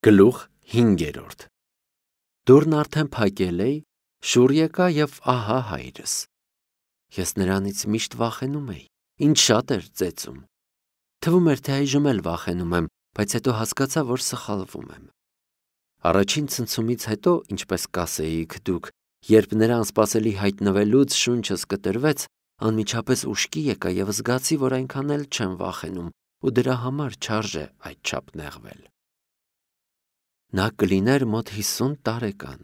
Գլուխ 5. Դուռն արդեն փակել էի, շուռ եկա և ահա հայրս։ Ես նրանից միշտ վախենում էի, ինձ շատ էր ծեծում։ Թվում էր, թե այժմ էլ վախենում եմ, բայց հետո հասկացա, որ սխալվում եմ։ Առաջին ցնցումից հետո, ինչպես կասեիք դուք, երբ նրա անսպասելի հայտնվելուց շունչս կտրվեց, անմիջապես ուշքի եկա և զգացի, որ այնքան էլ չեմ վախենում ու դրա համար չարժե այդչափ նեղվել։ Նա կլիներ մոտ 50 տարեկան։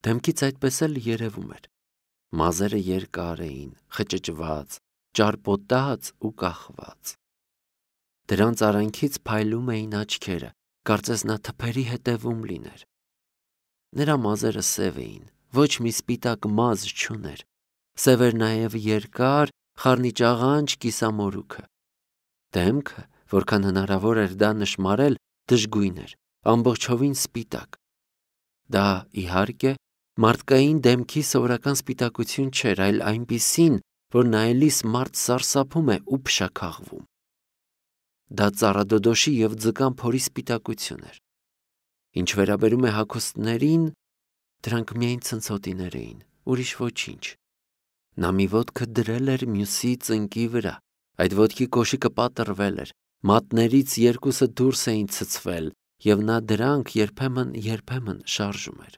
Դեմքից այդպես էլ երևում էր։ Մազերը երկար էին, խճճված, ճարպոտած ու կախված։ Դրանց արանքից փայլում էին աչքերը, կարծես նա թփերի հետևում լիներ։ Նրա մազերը սև էին, ոչ մի սպիտակ մազ չուներ։ Սև էր նաև երկար, խառնիճաղանճ կիսամորուքը։ Դեմքը, որքան հնարավոր էր դա նշմարել, դժգույն էր, ամբողջովին սպիտակ։ Դա, իհարկե, մարդկային դեմքի սովորական սպիտակություն չէր, այլ այնպիսին, որ նայելիս մարդ սարսափում է ու փշաքաղվում։ Դա ծառադոդոշի և ձկան փորի սպիտակություն էր։ Ինչ վերաբերում է հագուստներին, դրանք միայն ցնցոտիներ էին, ուրիշ ոչինչ։ Նա մի ոտքը դրել էր մյուսի ծնկի վրա, այդ ոտքի կոշիկը պատռվել էր, մատներից երկուսը դուրս էին ցցվել, և նա դրանք երբեմն շարժում էր։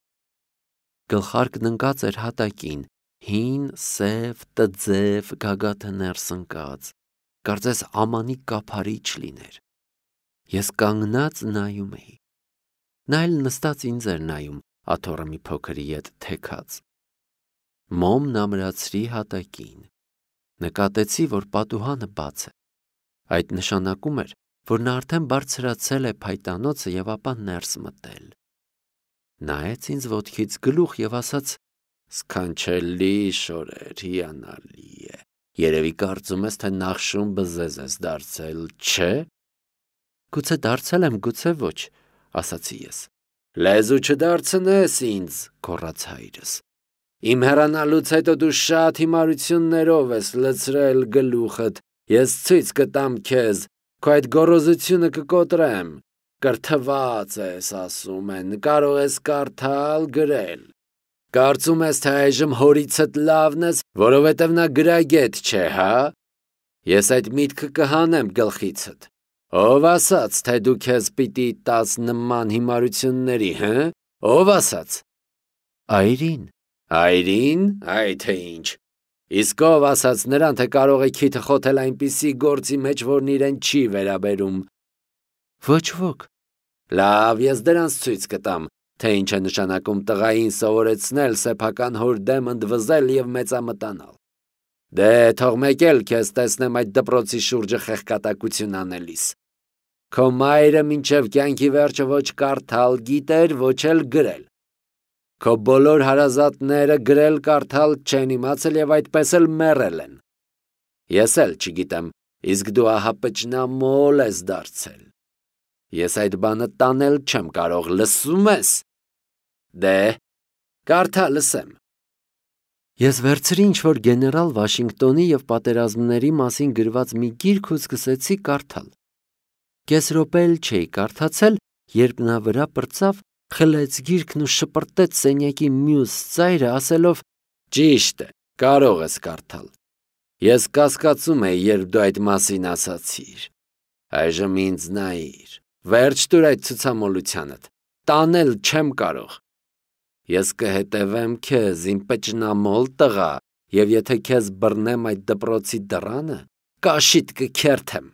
Գլխարկն ընկած էր հատակին, հին, սև, տձև, գագաթը ներս ընկած, կարծես ամանի կափարիչ լիներ։ Ես կանգնած նայում էի։ Նա էլ նստած ինձ էր նայում, աթոռը մի փոքր ետ թեքած։ Մոմն ամրացրի հատակին։ Նկատեցի, որ պատուհանը բաց է։ Այդ նշանակում էր, որ նա արդեն բարձրացել է փայտանոցը և ապա ներս մտել։ Նայեց ինձ ոտքից գլուխ և ասաց. «Սքանչելի շորեր, հիանալի է։ Երևի կարծում ես, թե նախշում բզեզ ես դարձել, չէ՞»։ «Գուցե դարձել եմ, գուցե ոչ», ասացի ես։ «Լեզու չդարձնես ինձ», գոռաց հայրս։ «Իմ հեռանալուց հետո դու շատ հիմարություններով ես լցրել գլուխդ, ես ցույց կտամ քեզ, քո այդ գոռոզությունը կկոտրեմ։ Կրթված ես, ասում են, կարող ես կարդալ, գրել։ Կարծում ես, թե այժմ հորիցդ լավն ես, որովհետև նա գրագետ չէ, հա՞։ Ես այդ միտքը կհանեմ գլխիցդ։ Ով ասաց, թե դու քեզ պիտի տաս նման հիմարությունների, հը՞։ Ով ասաց։ Այրին։ Այրին, այ թե ինչ։ Իսկ ով ասաց նրան, թե կարող է քիթը խոթել այնպիսի գործի մեջ, որն իրեն չի վերաբերում։ Ոչ ոք։ Լավ, ես դրանց ցույց կտամ, թե ինչ է նշանակում տղային սովորեցնել սեփական հոր դեմ ընդվզել և մեծամտանալ։ Դե, թող մեկ էլ քեզ տեսնեմ այդ դպրոցի շուրջը խեղկատակություն անելիս։ Քո մայրը մինչև կյանքի վերջը ոչ կարդալ գիտեր, ոչ էլ գրել։ Քո բոլոր հարազատները գրել կարդալ չեն իմացել և այդպես էլ մեռել են։ Ես էլ չգիտեմ, իսկ դու ահա պճնամոլ ես դարձել։ Ես այդ բանը տանել չեմ կարող, լսում ես։ Դե, կարդա լսեմ։ Ես վերցրի ինչ-որ գեներալ Վաշինգտոնի և պատերազմների մասին գրված մի գիրք ու սկսեցի կարդալ։ Կես րոպե էլ չէի կարդացել, երբ նա վրա պրծավ, խլեց գիրքն ու շպրտեց սենյակի մյուս ծայրը, ասելով. «Ճիշտ է, կարող ես կարդալ։ Ես կասկածում էի, երբ դու այդ մասին ասացիր։ Այժմ ինձ նայիր, վերջ տուր այդ ցուցամոլությանդ, տանել չեմ կարող։ Ես կհետևեմ քեզ, իմ պճնամոլ տղա, և եթե քեզ բռնեմ այդ դպրոցի դռանը, կաշիդ կքերթեմ,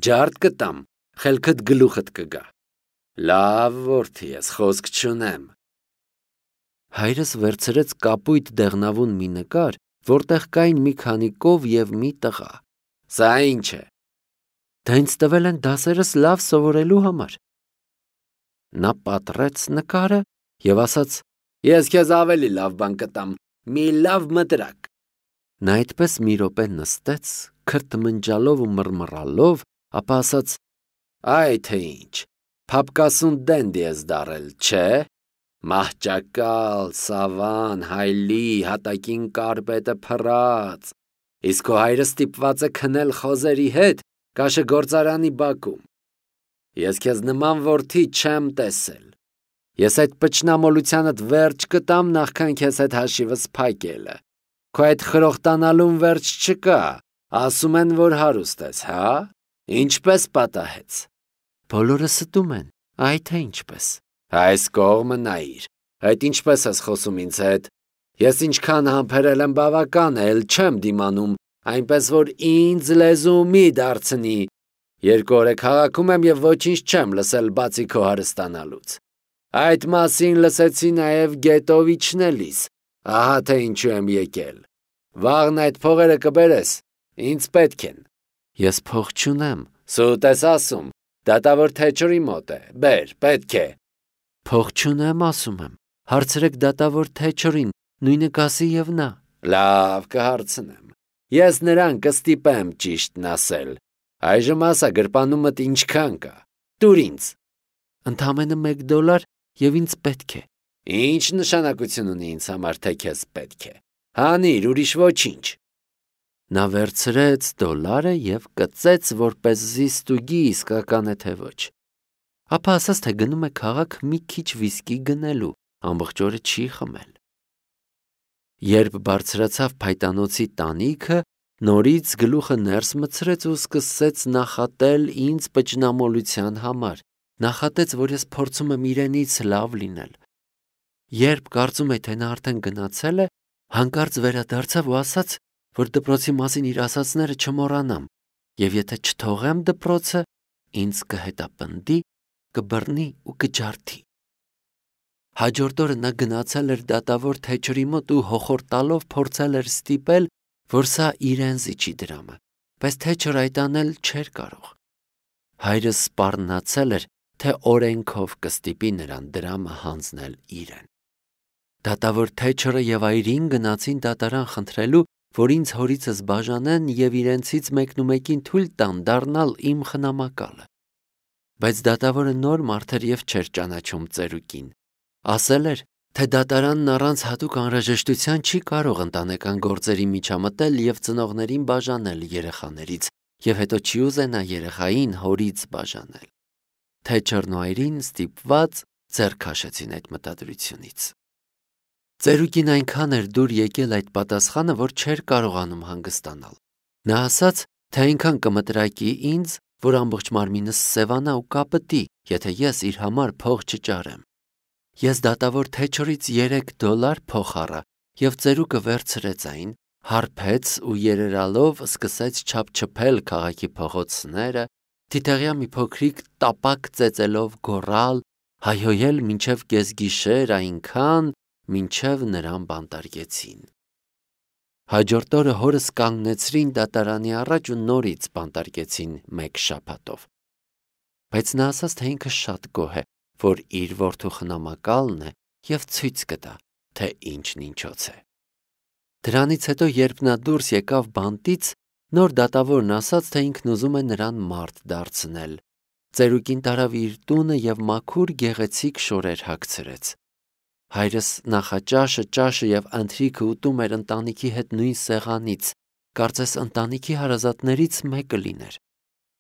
ջարդ կտամ, խելքդ գլուխդ կգա։ Լավ որդի ես, խոսք չունեմ»։ Հայրս վերցրեց կապույտ դեղնավուն մի նկար, որտեղ կային մի քանի կով և մի տղա։ Սա ինչ է։ Դա ինձ տվել են դասերս լավ սովորելու համար։ Նա պատռեց նկարը և ասաց. «Ես քեզ ավելի լավ բան կտամ, մի լավ մտրակ»։ Նա այդպես մի րոպե նստեց, քրթմնջալով ու մռմռալով, ապա ասաց. «Այ թե ինչ, փափկասուն դենդի ես դառել, չէ՞։ Մահճակալ, սավան, հայլի, հատակին կարպետը փռած։ Իսկ քո հայրը ստիպված է քնել խոզերի հետ Կաշեգործարանի բակում։ Ես քեզ նման որդի չեմ տեսել։ Ես այդ պճնամոլությանդ վերջ կտամ նախքան քեզ այդ հաշիվս փակելը։ Քո այդ խրոխտանալուն վերջ չկա, ասում են, որ հարուստ ես, հա? Ինչպես պատահեց։ Բոլորը ստում են, այ թե ինչպես։ Այս կողմը նայիր, այդ ինչպես ես խոսում ինձ հետ։ Ես ինչքան համբերել եմ բավական է, էլ չեմ դիմանում, այնպես որ ինձ լեզու մի դարձնի։ 2 օր է քաղաքում եմ և ոչինչ չեմ լսել բացի քո հարստանալուց։ Այդ մասին լսեցի նաև Գետովիչնելիս, ահա թե ինչու եմ եկել։ Վաղն այդ փողերը կբերես, ինձ պետք են։ Ես փող չունեմ, սուտ ես ասում, դատավոր Թեչերի մոտ է, բեր, պետք է։ Փող չունեմ, ասում եմ, հարցրեք դատավոր Թեչերին, նույնը կասի և նա։ Լավ, կհարցնեմ։ Ես նրան կստիպեմ ճիշտն ասել։ Այժմ ասա գրպանումդ ինչքան կա։ Տուր ինձ։ Ընդամենը $1 և ինձ պետք է։ Ինչ նշանակություն ունի ինձ համար, թե քեզ պետք է։ Հանիր, ուրիշ ոչինչ։ Նա վերցրեց $1 և կծեց, որպեսզի ստուգի իսկական է թե ոչ։ Ապա ասաց, թե գնում է քաղաք մի քիչ վիսկի գնելու, ամբողջ օրը չի խմել։ Երբ բարձրացավ փայտանոցի տանիքը, նորից գլուխը ներս մտցրեց ու սկսեց նախատել ինձ պճնամոլության համար, նախատեց, որ ես փորձում եմ իրենից լավ լինել։ Երբ կարծում էի, թե նա արդեն գնացել է, հանկարծ վերադարձավ ու ասաց, որ դպրոցի մասին իր ասածները չմոռանամ, և եթե չթողեմ դպրոցը, ինձ կհետապնդի, կբռնի ու կջարդի։ Հաջորդ օրը նա գնացել էր դատավոր Թեչերի մոտ ու հոխորտալով փորձել էր ստիպել, որ սա իրեն զիջի դրամը, բայց Թեչերը այդ անել չէր կարող։ Հայրս սպառնացել էր, թե օրենքով կստիպի նրան դրամը հանձնել իրեն։ Դատավոր Թեչերը և այրին գնացին դատարան խնդրելու, որ ինձ հորիցս բաժանեն և իրենցից մեկնումեկին թույլ տան դառնալ իմ խնամակալը։ Բայց դատավորը նոր մարդ էր և չէր ճանաչում ծերուկին։ Ասել էր, թե դատարանն առանց հատուկ անհրաժեշտության չի կարող ընտանեկան գործերի միջամտել և ծնողներին բաժանել երեխաներից, և հետո չի ուզենա երեխային հորից բաժանել։ Թեչերն ու այրին ստիպված ձեռ քաշեցին այդ մտադրությունից։ Ծերուկին այնքան էր դուր եկել այդ պատասխանը, որ չէր կարողանում հանգստանալ։ Նա ասաց, թե այնքան կմտրակի ինձ, որ ամբողջ մարմինս սևանա ու կապտի, եթե ես իր համար փող չճարեմ։ Ես դատավոր Թեչերից $3 փող առա և ծերուկը վերցրեց այն, հարբեց ու երերալով սկսեց չափչփել քաղաքի փողոցները, թիթեղյա մի փոքրիկ տապակ ծեծելով գոռալ, հայհոյել մինչև կեսգիշեր այնքան, մինչև նրան բանտարկեցին։ Հաջորդ օրը հորս կանգնեցրին դատարանի առաջ ու նորից բանտարկեցին 1 շաբաթով։ Բայց նա ասաց, թե ինքը շատ գոհ է, որ իր որդու խնամակալն է և ցույց կտա, թե ինչն ինչոց է։ Դրանից հետո, երբ նա դուրս եկավ բանտից, նոր դատավորն ասաց, թե ինքն ուզում է նրան մարդ դարձնել։ Ծերուկին տարավ իր տունը և մաքուր գեղեցիկ շորեր հագցրեց։ Հայրս նախաճաշը, ճաշը և ընթրիքը ուտում էր ընտանիքի հետ նույն սեղանից, կարծես ընտանիքի հարազատներից մեկը լիներ։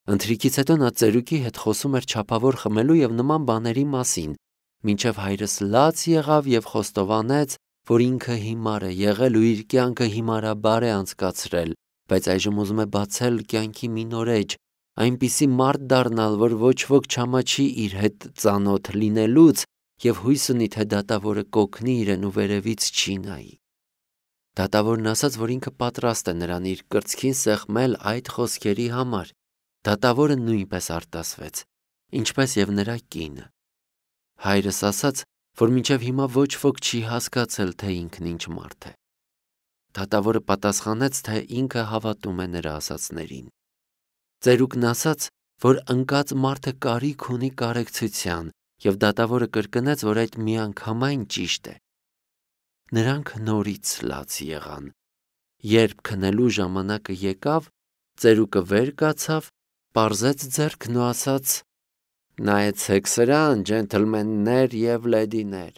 Ընթրիքից հետո նա ծերուկի հետ խոսում էր չափավոր խմելու և նման բաների մասին, մինչև հայրս լաց եղավ և խոստովանեց, որ ինքը հիմար է եղել ու իր կյանքը հիմարաբար է անցկացրել, բայց այժմ ուզում է բացել կյանքի մի նոր էջ, այնպիսի մարդ դառնալ, որ ոչ ոք չամաչի իր հետ ծանոթ լինելուց և հույս ունի, թե դատավորը կօգնի իրեն ու վերևից չի նայի։ Դատավորն ասաց, որ ինքը պատրաստ է նրան իր կրծքին սեղմել այդ խոսքերի համար։ Դատավորը նույնպես արտասվեց, ինչպես և նրա կինը։ Հայրս ասաց, որ մինչև հիմա ոչ ոք չի հասկացել, թե ինքն ինչ մարդ է։ Դատավորը պատասխանեց, թե ինքը հավատում է նրա ասածներին։ Ծերուկն ասաց, որ ընկած մարդը կարիք ունի կարեկցության, և դատավորը կրկնեց, որ այդ միանգամայն ճիշտ է։ Նրանք նորից լաց եղան։ Երբ քնելու ժամանակը եկավ, ծերուկը վեր կացավ, պարզեց ձեռքն ու ասաց. «Նայեցեք սրան, ջենթլմեններ և լեդիներ,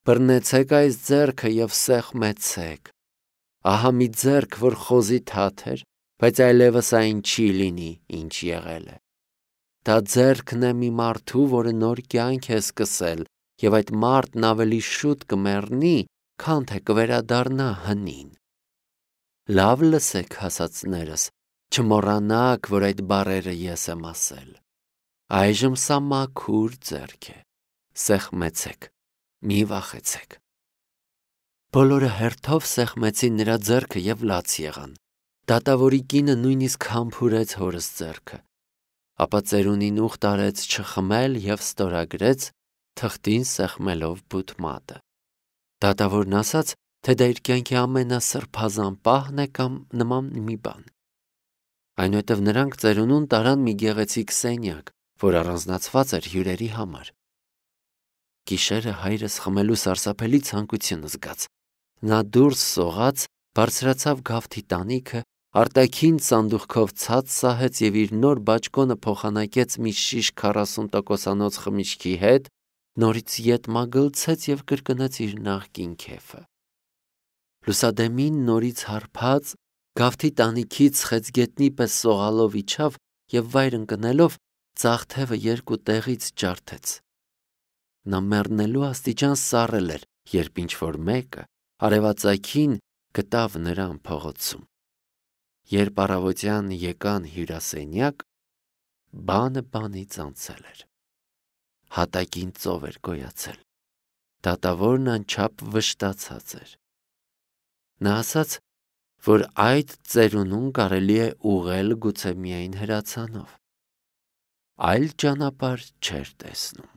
բռնեցեք այս ձեռքը և սեղմեցեք։ Ահա մի ձեռք, որ խոզի թաթ էր, բայց այլևս այն չի լինի, ինչ եղել է։ Դա ձեռքն է մի մարդու, որը նոր կյանք է սկսել, եւ այդ մարդն ավելի շուտ կմեռնի, քան թե կվերադառնա հնին։ Լավ լսեք, հասածներս, չմոռանաք, որ այդ բառերը ես եմ ասել։ Այժմ սա մաքուր ձեռք է։ Սեղմեցեք, մի վախեցեք։ Բոլորը հերթով սեղմեցին նրա ձեռքը եւ լաց եղան։ Դատավորի կինը նույնիսկ համբուրեց հորս ձեռքը, ապա ծերունին ուխտ արեց չխմել եւ ստորագրեց, թղթին սեղմելով բութ մատը։ Դատավորն ասաց, թե դա իր կյանքի ամենասրբազան պահն է կամ նման մի բան։ Այնուհետև նրանք ծերունուն տարան մի գեղեցիկ սենյակ, որ առանձնացված էր հյուրերի համար։ Գիշերը հայրս խմելու սարսափելի ցանկություն զգաց։ Նա դուրս սողաց, բարձրացավ գավթի տանիքը, արտաքին սանդուղքով ցած սահեց եւ իր նոր բաճկոնը փոխանակեց մի շիշ 40%-անոց խմիչքի հետ, նորից ետ մագլցեց եւ կրկնեց իր նախկին քեֆը։ Լուսադեմին նորից հարբած, գավթի տանիքից խեցգետնի պես սողալով իջավ եւ վայր ընկնելով ծաղ թևը երկու տեղից ջարդեց։ Նա մեռնելու աստիճան սառել էր, երբ ինչ-որ մեկը արևածագին գտավ նրան փողոցում։ Երբ առավոտյան եկան հյուրասենյակ, բանը բանից անցել էր։ Հատակին ծով էր գոյացել։ Դատավորն անչափ վշտացած էր։ Նա ասաց, որ այդ ծերունուն կարելի է ուղղել գուցե միայն հրացանով։ Այլ ճանապարհ չէր տեսնում։